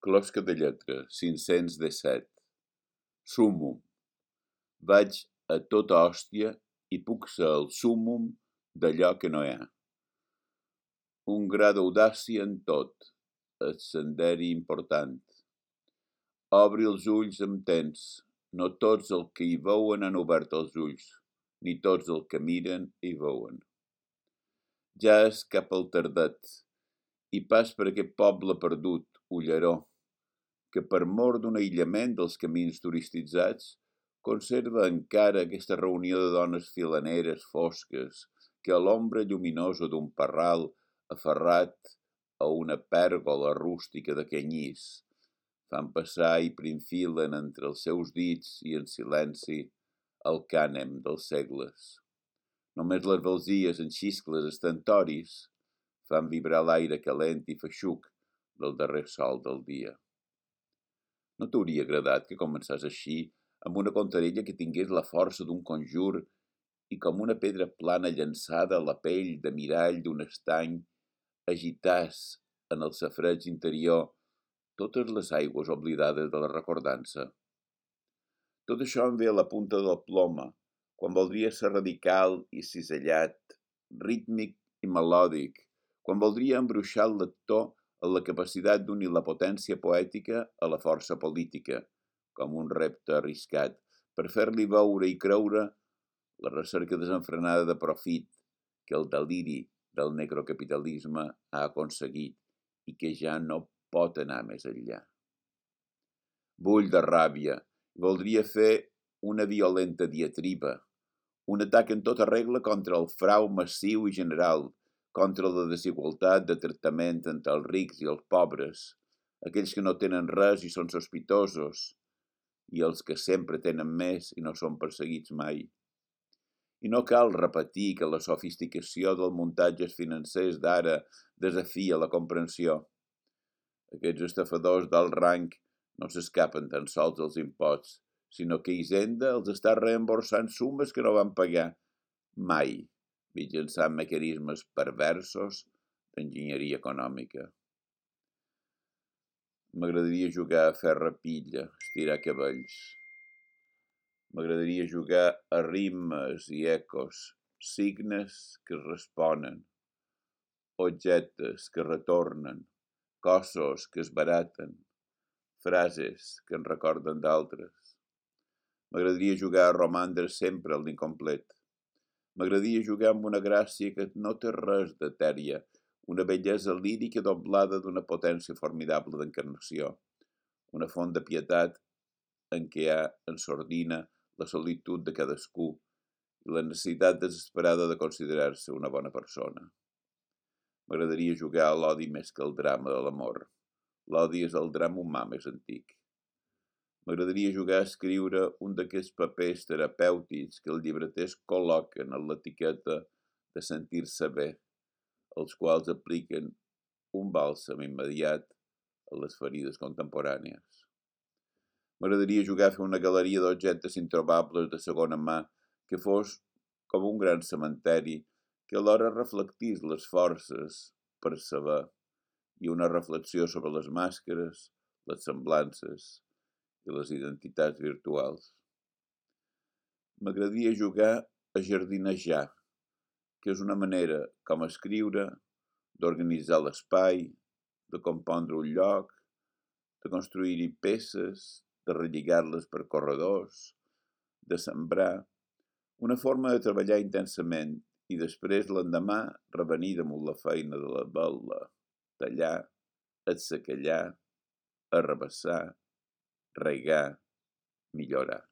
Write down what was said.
Closca de lletra, 517. Súmmum. Vaig a tota hòstia i puc ser el súmmum d'allò que no hi ha. Un gra d'audàcia en tot, el senderi important. Obri els ulls amb temps, no tots els que hi veuen han obert els ulls, ni tots els que miren hi veuen. Ja és cap al tardet, i pas per aquest poble perdut, Ulleró, que per mor d'un aïllament dels camins turistitzats, conserva encara aquesta reunió de dones filaneres fosques que a l'ombra lluminosa d'un parral aferrat a una pèrgola rústica de canyís fan passar i prinfilen entre els seus dits i en silenci el cànem dels segles. Només les velzies en xiscles estentoris fan vibrar l'aire calent i feixuc del darrer sol del dia. No t'hauria agradat que començàs així, amb una contarella que tingués la força d'un conjur i com una pedra plana llançada a la pell de mirall d'un estany, agitàs en el safreig interior totes les aigües oblidades de la recordança? Tot això em ve a la punta del ploma, quan voldria ser radical i cisellat, rítmic i melòdic, quan voldria embruixar el lector a la capacitat d'unir la potència poètica a la força política, com un repte arriscat, per fer-li veure i creure la recerca desenfrenada de profit que el deliri del necrocapitalisme ha aconseguit i que ja no pot anar més enllà. Bull de ràbia, voldria fer una violenta diatriba, un atac en tota regla contra el frau massiu i general, contra la desigualtat de tractament entre els rics i els pobres, aquells que no tenen res i són sospitosos, i els que sempre tenen més i no són perseguits mai. I no cal repetir que la sofisticació dels muntatges financers d'ara desafia la comprensió. Aquests estafadors d'alt rang no s'escapen tan sols dels imposts, sinó que Hisenda els està reemborsant sumes que no van pagar mai, mitjançant mecanismes perversos d'enginyeria econòmica. M'agradaria jugar a ferra-pilla, estirar cabells. M'agradaria jugar a rimes i ecos, signes que es responen, objectes que retornen, cossos que es baraten, frases que en recorden d'altres. M'agradaria jugar a romandre sempre a l'incomplet. M'agradaria jugar amb una gràcia que no té res d'etèria, una bellesa lírica doblada d'una potència formidable d'encarnació, una font de pietat en què hi ha en sordina la solitud de cadascú i la necessitat desesperada de considerar-se una bona persona. M'agradaria jugar a l'odi més que el drama de l'amor. L'odi és el drama humà més antic. M'agradaria jugar a escriure un d'aquests papers terapèutics que els llibreters col·loquen en l'etiqueta de sentir-se bé, els quals apliquen un bàlsam immediat a les ferides contemporànies. M'agradaria jugar a fer una galeria d'objectes introbables de segona mà que fos com un gran cementeri que alhora reflectís les forces per saber i una reflexió sobre les màscares, les semblances i les identitats virtuals. M'agradaria jugar a jardinejar, que és una manera, com escriure, d'organitzar l'espai, de compondre un lloc, de construir-hi peces, de relligar-les per corredors, de sembrar, una forma de treballar intensament i després l'endemà revenir damunt la feina de la vetla, tallar, atzacallar, arrabassar, regar, millorar.